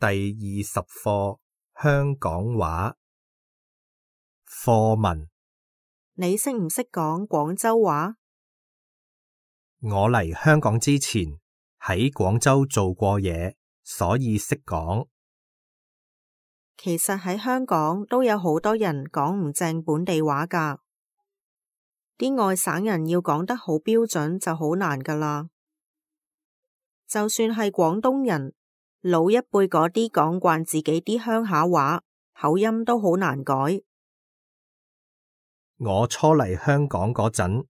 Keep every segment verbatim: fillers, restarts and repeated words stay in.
第二十課香港話課文。你識唔識講廣州話？我嚟香港之前喺廣州做過嘢，所以識講。其實喺香港都有好多人講唔正本地話㗎，啲外省人要講得好標準就好難㗎啦。就算係廣東人，老一輩嗰啲講慣自己啲鄉下話，口音都好難改。我初嚟香港嗰陣，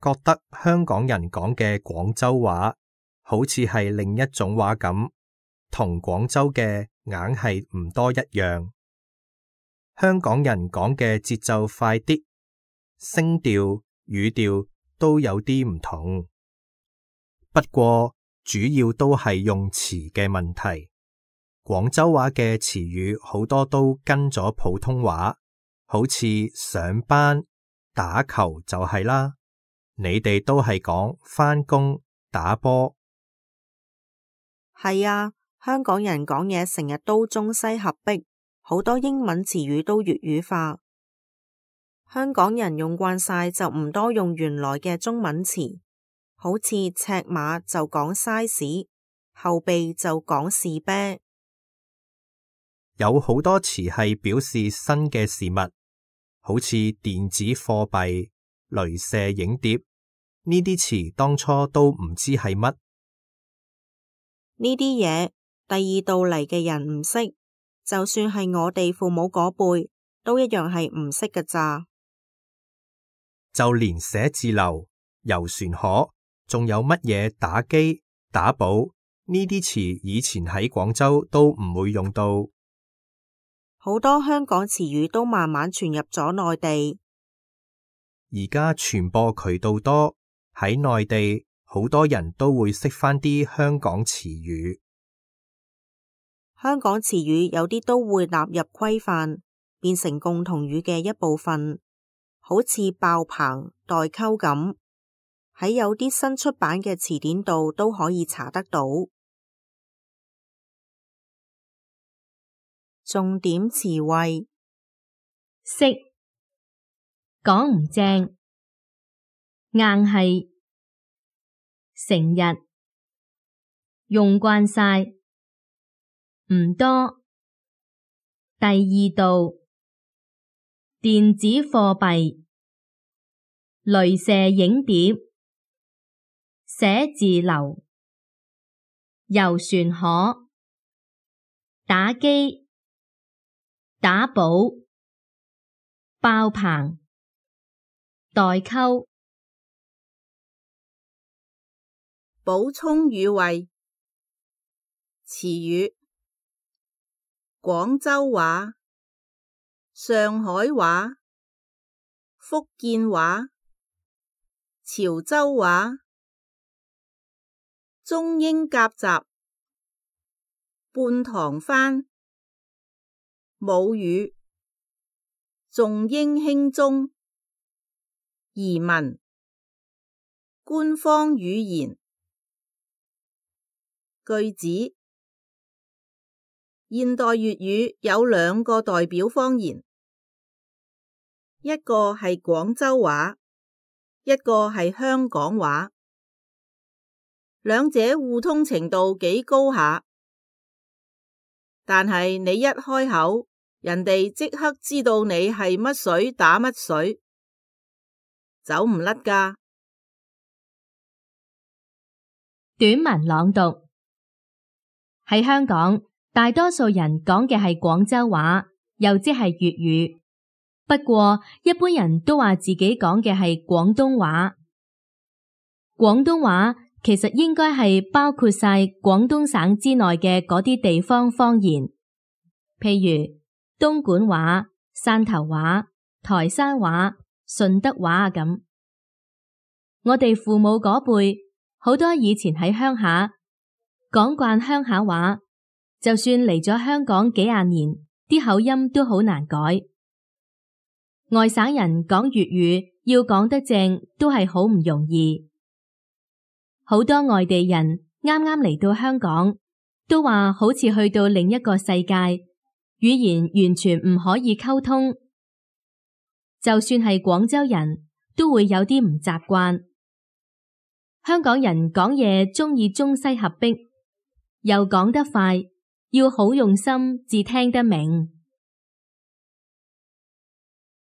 覺得香港人講嘅廣州話好似係另一種話咁，同廣州嘅硬係唔多一樣。香港人講嘅節奏快啲，聲調、語調都有啲唔同。不過主要都係用詞嘅問題。廣州話嘅詞語好多都跟咗普通話，好似上班、打球就係啦。你哋都係講返工、打波。係啊，香港人講嘢成日都中西合璧，好多英文詞語都粵語化。香港人用慣晒就唔多用原來嘅中文詞，好似尺碼就講 size， 後備就講士啤。有好多詞係表示新嘅事物，好似電子貨幣、鐳射影碟，呢啲詞當初都唔知係乜。呢啲嘢第二度嚟嘅人唔識，就算係我哋父母嗰輩，都一樣係唔識㗎咋。就連寫字樓、遊船河，仲有乜嘢打機、打寶，呢啲詞以前喺廣州都唔會用到。好多香港詞語都慢慢傳入咗內地。而家傳播渠道多，喺內地好多人都會識返啲香港詞語。香港詞語有啲都會納入規範，變成共同語嘅一部分，好似爆棚、代溝咁，喺有啲新出版嘅詞典度都可以查得到。重點詞彙：識，講唔正，硬係，成日，用慣晒，唔多，第二度，電子貨幣，鐳射影碟，寫字樓，遊船河，打機，打寶，爆棚，代溝。補充語彙：詞語：廣州話、上海話、福建話、潮州話、中英夾雜、半唐番、母語、重英輕中、移民、官方語言。句子：現代粵語有兩個代表方言，一個係廣州話，一個係香港話，兩者互通程度幾高下。但係你一開口，人哋即刻知道你係乜水打乜水，走唔甩㗎。短文朗讀。喺香港，大多數人講嘅係廣州話，又即係粵語。不過，一般人都話自己講嘅係廣東話。廣東話其實應該係包括晒廣東省之內嘅嗰啲地方方言，譬如東莞話、汕頭話、台山話、順德話咁。我哋父母嗰輩，好多以前喺鄉下講慣鄉下話，就算嚟咗香港幾廿年，啲口音都好難改。外省人講粵語要講得正，都係好唔容易。好多外地人啱啱嚟到香港，都話好似去到另一個世界，語言完全唔可以溝通。就算係廣州人都會有啲唔習慣。香港人講嘢鍾意中西合璧，又講得快，要好用心至聽得明。